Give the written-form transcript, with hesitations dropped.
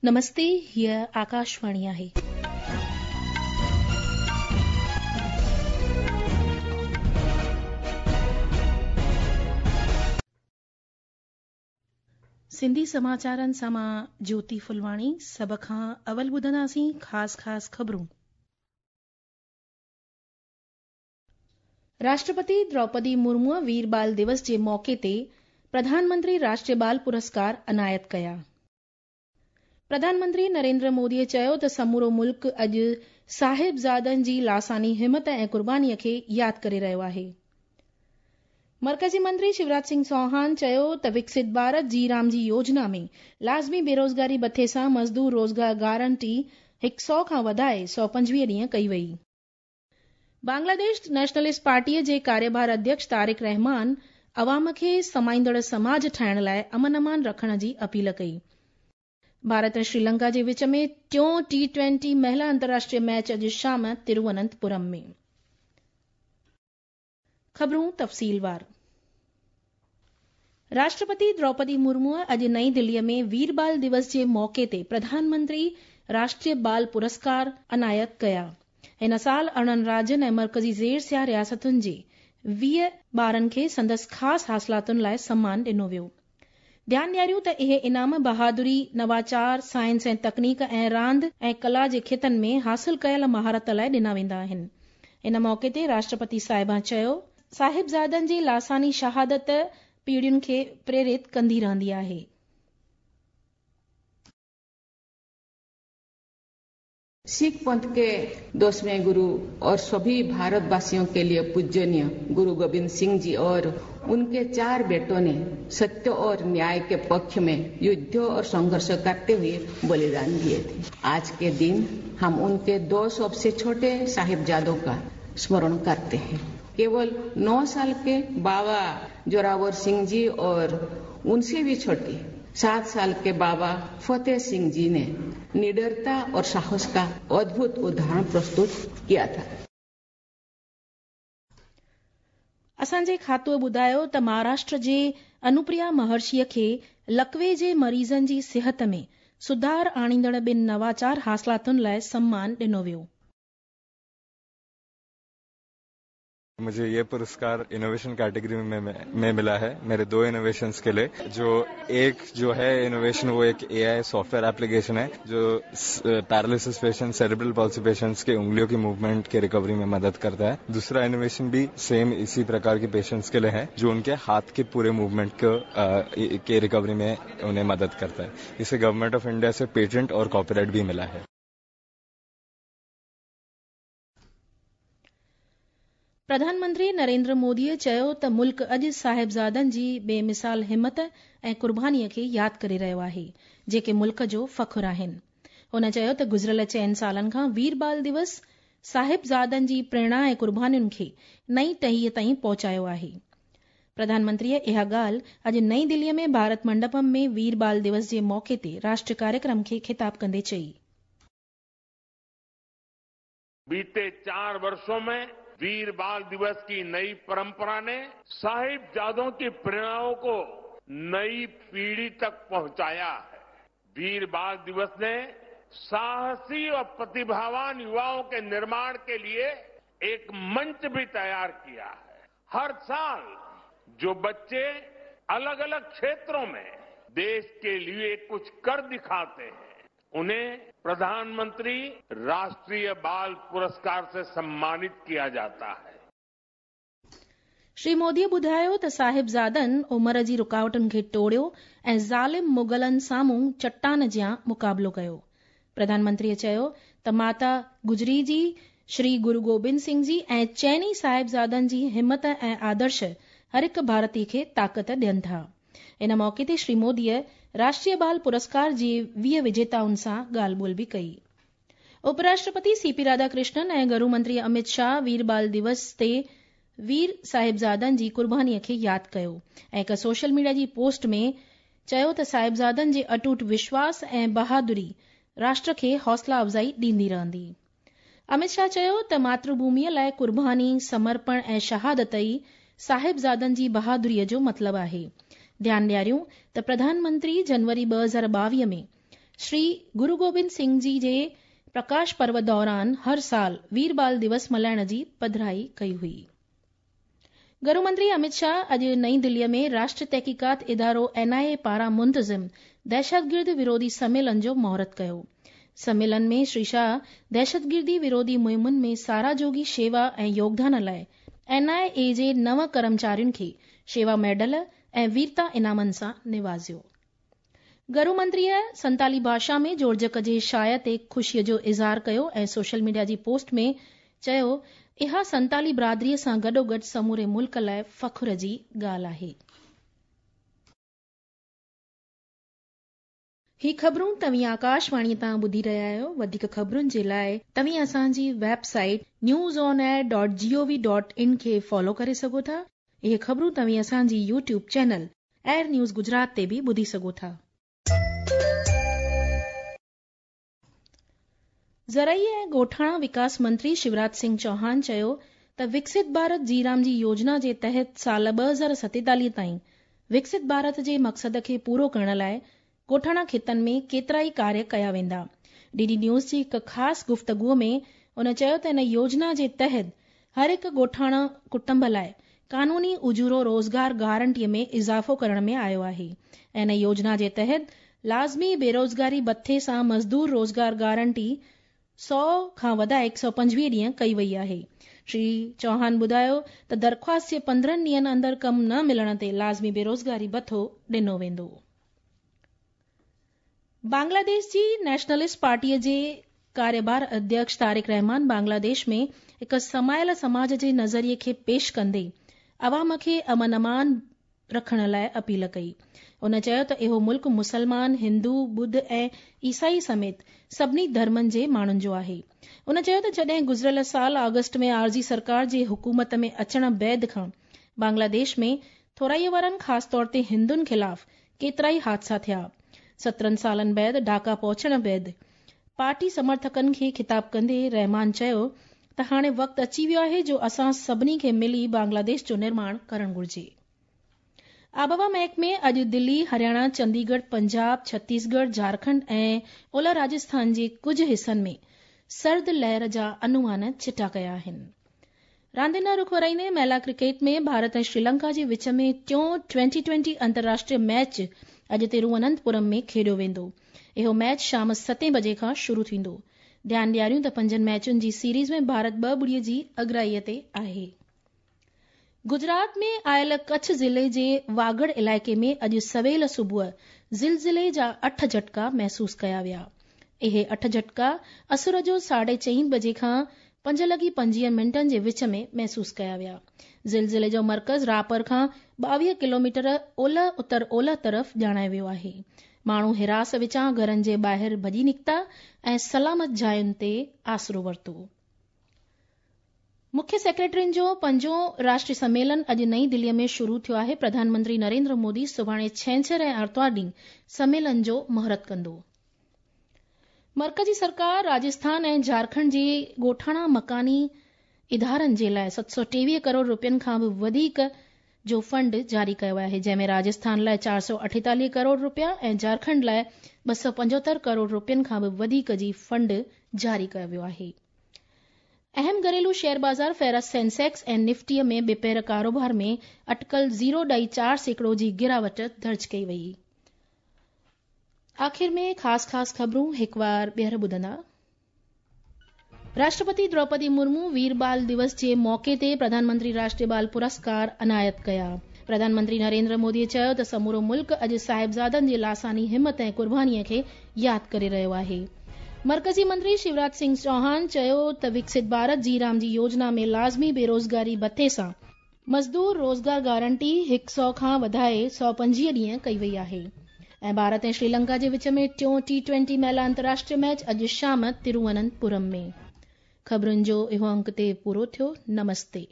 نمستي هيء آڪاشواڻي آهي. سنڌي سماچارن سان مان جيوتي ڦلواڻي سڀ کان اول ٻڌنداسين خاص خاص خبرون. راشٽرپتي دروپدي مرموء وير بال دوس جي موقعي تي پرڌان منتري راشٽريه بال پرسڪار عنايت ڪيا. پرڌان منتري نريندر موديء چيو ته سمورو ملڪ اڄ صاحبزادن جي لاثاني همت ۽ قربانيء کي ياد ڪري رهيو آهي. مرڪزي منتري شيوراج سنگهه چوهان چيو ته وڪست ڀارت جي رام جي يوجنا ۾ لازمي بيروزگاري ڀٿي سان مزدور روزگار گارنٽي هڪ سئو کان وڌائي 125 ڏينهن ڪئي وئي. بنگلاديش نيشنلسٽ پارٽيء جي ڪاريڀار اڌيڪش طارق رحمان عوام کي سمائيندڙ سماج ٺاهڻ لاء امن امان رکڻ جي اپيل ڪئي. ڀارت ۽ شريلنڪا جي وچ ۾ ٽيون ٽي ٽوئنٽي مهلا انترراشٽريه ميچ اڄ شام ترووننتپورم ۾. خبرون تفصيلوار. راشٽرپتي دروپدي مرموء اڄ نئين دليء ۾ وير بال دوس جي موقعي تي پرڌان منتري راشٽريه بال پرسڪار عنايت ڪيا. هن سال 18 راجين ۽ مرڪزي زير سيا رياستن جي 20 ٻارن کي سندس خاص حاصلاتن لاء سمان ڏنو ويو. ڌيان ڏياريون ته اهي انعام بهادري، نواچار، سائنس ۽ تڪنيڪ ۽ راند ۽ ڪلا جي کيتن ۾ حاصل ڪيل مهارت لاء ڏنا ويندا آهن. ان موقعي تي راشٽرپتي صاحبان چيو، صاحبزادن جي لاثاني شهادت پيڙهين کي پريرت ڪندي رهندي آهي. सिख पंथ के दसवें गुरु और सभी भारतवासियों के लिए पूजनीय गुरु गोविंद सिंह जी और उनके चार बेटों ने सत्य और न्याय के पक्ष में युद्ध और संघर्ष करते हुए बलिदान दिए थे। आज के दिन हम उनके दो सबसे छोटे साहिबजादों का स्मरण करते हैं। केवल 9 साल के बाबा जोरावर सिंह जी और उनसे भी छोटे 7 साल के बाबा फतेह सिंह जी ने निडरता और साहस का अद्भुत उदाहरण प्रस्तुत किया था। असांजे खातूअ ॿुधायो त महाराष्ट्र जे अनुप्रिया महर्षीअ खे लकवे जे मरीज़नि जी सिहत में सुधार आणींदड़ ॿिनि नवाचार हासिलातुनि लाइ सम्मान ॾिनो वियो। मुझे ये पुरस्कार इनोवेशन कैटेगरी में मिला है मेरे 2 इनोवेशंस के लिए। जो एक जो है इनोवेशन वो एक एआई सॉफ्टवेयर एप्लीकेशन है जो paralysis patient, cerebral palsy patients के उंगलियों की मूवमेंट के रिकवरी में मदद करता है। दूसरा इनोवेशन भी सेम इसी प्रकार के पेशेंट्स के लिए है जो उनके हाथ के पूरे मूवमेंट के रिकवरी में उन्हें मदद करता है। इसे गवर्नमेंट ऑफ इंडिया से पेटेंट और कॉपीराइट भी मिला है। प्रधान मंत्री नरेंद्र मोदीअ चयो त मुल्क अॼु साहिबज़ादनि जी बेमिसाल हिमत ऐं क़ुर्बानीअ खे यादि करे रहियो आहे, जेके मुल्क जो फ़ख़्रु आहिनि। हुन चयो त गुज़िरियल 4 सालनि खां वीर बाल दिवस साहिबज़ादनि जी प्रेरणा ऐं क़ुर्बानियुनि खे नई टहीअ ताईं पहुचायो आहे। प्रधानमंत्रीअ इहा ॻाल्हि अॼु नई दिल्लीअ में भारत मंडपम में वीर बाल दिवस जे मौक़े ते राष्ट्रीय कार्यक्रम खे ख़िताब कंदे चई। बीते 4 वर्षों में वीर बाल दिवस की नई परंपरा ने साहिबजादों की प्रेरणाओं को नई पीढ़ी तक पहुंचाया है। वीर बाल दिवस ने साहसी और प्रतिभावान युवाओं के निर्माण के लिए एक मंच भी तैयार किया है। हर साल जो बच्चे अलग-अलग क्षेत्रों में देश के लिए कुछ कर दिखाते हैं, उन्हें प्रधानमंत्री राष्ट्रीय बाल पुरस्कार से सम्मानित किया जाता है। श्री मोदीअ ॿुधायो त साहिबज़ादनि उमर जी रुकावटुनि खे टोड़ियो ऐं ज़ालिम मुग़लनि साम्हूं चट्टान जियां मुक़ाबिलो कयो। प्रधानमंत्रीअ चयो त माता गुजरी जी, श्री गुरु गोबिंद सिंह जी ऐं चइनी साहिबज़ादनि जी हिमत ऐं आदर्श हर हिकु भारतीय खे ताक़त ॾियनि था। इन मौक़े ते श्री मोदीअ राष्ट्रीय बाल पुरस्कार जे 20 विजेताउनि सां ॻाल्हि ॿोल बि कई। उपराष्ट्रपति सीपी राधाकृष्णन ऐं गृह मंत्री अमित शाह वीर बाल दिवस ते वीर साहिबज़ादनि जी क़ुर्बानीअ खे यादि कयो ऐं हिकु सोशल मीडिया जी पोस्ट में चयो त साहिबज़ादनि जे अटूट विश्वास ऐं बहादुरी राष्ट्र खे हौसला अफ़ज़ाई ॾींदी रहंदी। अमित शाह चयो त मातृभूमिअ लाइ क़ुर्बानी, समर्पण ऐं शहादत ई साहिबज़ादनि जी बहादुरीअ जो मतिलबु आहे। ध्यानु ॾियारियूं त प्रधानमंत्री जनवरी 2022 में شري گرو گوبند سنگهه جي جي پرڪاش پرو دوران هر سال وير بال دوس ملهائڻ جي پڌرائي ڪئي هئي. گهرو منتري امت شاهه اڄ نئين دليء ۾ راشٽريه تحقيقات ادارو اين آء اي پاران منتظم دهشتگرد وروڌي سميلن جو مهورت ڪيو. سميلن ۾ شري شاهه دهشتگردي وروڌي مهمن ۾ ساراهه جوڳي شيوا ۽ يوگدان لاء اين آء اي جي نو ڪرمچارين کي شيوا ميڊل ۽ ويرتا انعامن سان نوازيو. گهرو منتريء سنتالي ڀاشا ۾ جوڙجڪ جي شايع تي خوشيء جو اظهار ڪيو ۽ سوشل ميڊيا جي پوسٽ ۾ چيو، اها سنتالي برادريء سان گڏوگڏ سموري ملڪ لاء فخر جي ڳالهه آهي. هي خبرون توهين آڪاشواڻيء تان ٻڌي رهيا آهيو. وڌيڪ خبرن جي لاء توهين اسان جي website news on air dot G O V dot in کي فالو ڪري سگهو ٿا. اهي خبرون توهين اسان جي YouTube channel AIR news Gujarat تي به ٻڌي سگهو ٿا. زرعي ۽ ڳوٺاڻا وڪاس منتري شيوراج سنگهه چوهان چيو ته وڪست ڀارت جي رام جي يوجنا جي تحت سال 2047 تائين وڪست ڀارت جي مقصد کي پورو ڪرڻ لاء ڳوٺاڻا خطن ۾ ڪيترائي ڪاريه ڪيا ويندا. ڊي ڊي نيوز جي هڪ خاص گفتگو ۾ هن چيو ته ان يوجنا جي تحت هر هڪ ڳوٺاڻا ڪٽنب لاء قانوني اجورو روزگار گارنٽي ۾ اضافو ڪرڻ ۾ آيو آهي ۽ ان يوجنا جي تحت لازمي بيروزگاري ڀٿي سان مزدور روزگار گارنٽي 100 کان وڌائي 125 ڏينهن ڪئي وئي آهي. شري چوهان ٻڌايو ته درخواست جي 15 ڏينهن اندر ڪم نه ملڻ تي لازمي بيروزگاري ڀٿو ڏنو ويندو. بنگلاديش جي نيشنلسٽ پارٽيء جي ڪاريبار اڌيڪش طارق رحمان بنگلاديش ۾ هڪ سمايل سماج جي نظريي کي پيش ڪندي عوام کي امن امان رکڻ لاء اپيل ڪئي. هن چيو ته اهو ملڪ مسلمان، هندو، ٻڌ ۽ عيسائي سميت سڀني ڌرمن جي ماڻهن جو آهي. هن چيو ته جڏهن گذريل سال آگسٽ ۾ عارضي سرڪار جي حڪومت ۾ اچڻ بعد کان بنگلاديش ۾ ٿورائي وارن خاص طور تي هندن خلاف ڪيترائي حادثا ٿيا. 17 سالن بعد ڍاڪا پهچڻ بعد پارٽي سمرٿڪن کي خطاب ڪندي رحمان چيو ته هاڻي وقت اچي ويو آهي جو اسان سڀني کي ملي بنگلاديش جو نرماڻ ڪرڻ گهرجي. آبهوا محڪمي اڄ دلي، هرياڻا، چنديڳڙهه، پنجاب، ڇتيسڳڙهه، جهارکنڊ ۽ اولهه راجسٿان جي ڪجهه حصن ۾ سرد لهر جا انومان چٽا ڪيا آهن. راندين ڏانهن رخ ورائيندي مهلا ڪرڪيٽ ۾ ڀارت ۽ شريلنڪا جي وچ ۾ ٽيون ٽوئنٽي ٽوئنٽي انترراشٽريه ميچ اڄ ترووننتپورم ۾ کيڏيو ويندو. اهو ميچ شام ستين بجي کان شروع ٿيندو. ڌيان ڏياريون ته پنجن ميچن جي سيريز ۾ ڀارت ٻه ٻڙي جي اڳرائي تي آهي. گجرات ۾ آيل ڪڇ ضلعي جي واگڙ علائقي ۾ اڄ سويل صبح زلزلي جا اٺ جهٽڪا محسوس ڪيا ويا. اهي اٺ جهٽڪا اسر جو ساڍي چئين بجي کان پنج لڳي 25 منٽن جي وچ ۾ محسوس ڪيا ويا. زلزلي جو مرڪز راپر کان 22 ڪلوميٽر اولهه اتر اولهه طرف ڄاڻايو ويو آهي. ماڻهو هراس وچان گهرن جي ٻاهر ڀڄي نڪتا ۽ سلامت جاين تي آسرو ورتو. مکيه سيڪريٽرين جو پنجون راشٽري سميلن اڄ نئين دليء ۾ شروع ٿيو آهي. پرڌان منتري نريندر مودي سڀاڻي ڇنڇر ۽ آرتوار ڏينهن سميلن جو مهورت ڪندو. مرڪزي سرڪار راجسٿان ۽ جهارکنڊ جي ڳوٺاڻا مڪاني ادارن جي لاء 723 ڪروڙ روپين کان به وڌيڪ جو فنڊ جاري ڪيو آهي، جنهن ۾ راجسٿان لاء 448 ڪروڙ روپيا ۽ جهارکنڊ لاء 275 ڪروڙ روپين کان به وڌيڪ جي فنڊ جاري ڪيو ويو آهي. اهم گهريلو شيئر بازار فهرست سينسيڪس ۽ نفٽي ۾ ٻپهر ڪاروبار ۾ اٽڪل زيرو ڏهائي چار سيڪڙو جي گراوٽ درج ڪئي وئي. آخر ۾ خاص خاص خبرون هڪوار ٻيهر ٻڌندا. راشٽرپتي دروپدي مرمو وير بال دوس جي موقعي تي پرڌان منتري راشٽريه بال پرسڪار عنايت ڪيا. پرڌان منتري نريندر مودي چيو ته سمورو ملڪ اڄ صاحبزادن جي لاثاني همت ۽ قرباني کي ياد ڪري رهيو آهي. مرڪزي منتري شيوراج سنگهه چوهان چيو ته وڪست ڀارت جي رام جي يوجنا ۾ لازمي بيروزگاري ڀتي سان مزدور روزگار گارنٽي هڪ سئو کان وڌائي 125 ڏينهن ڪئي وئي آهي ۽ ڀارت ۽ شريلنڪا جي وچ ۾ ٽيون ٽي ٽوئنٽي مهلا انترراشٽريه ميچ اڄ شام ترووننتپورم ۾. خبرن جو اهو انڪ تي پورو ٿيو. نمستي.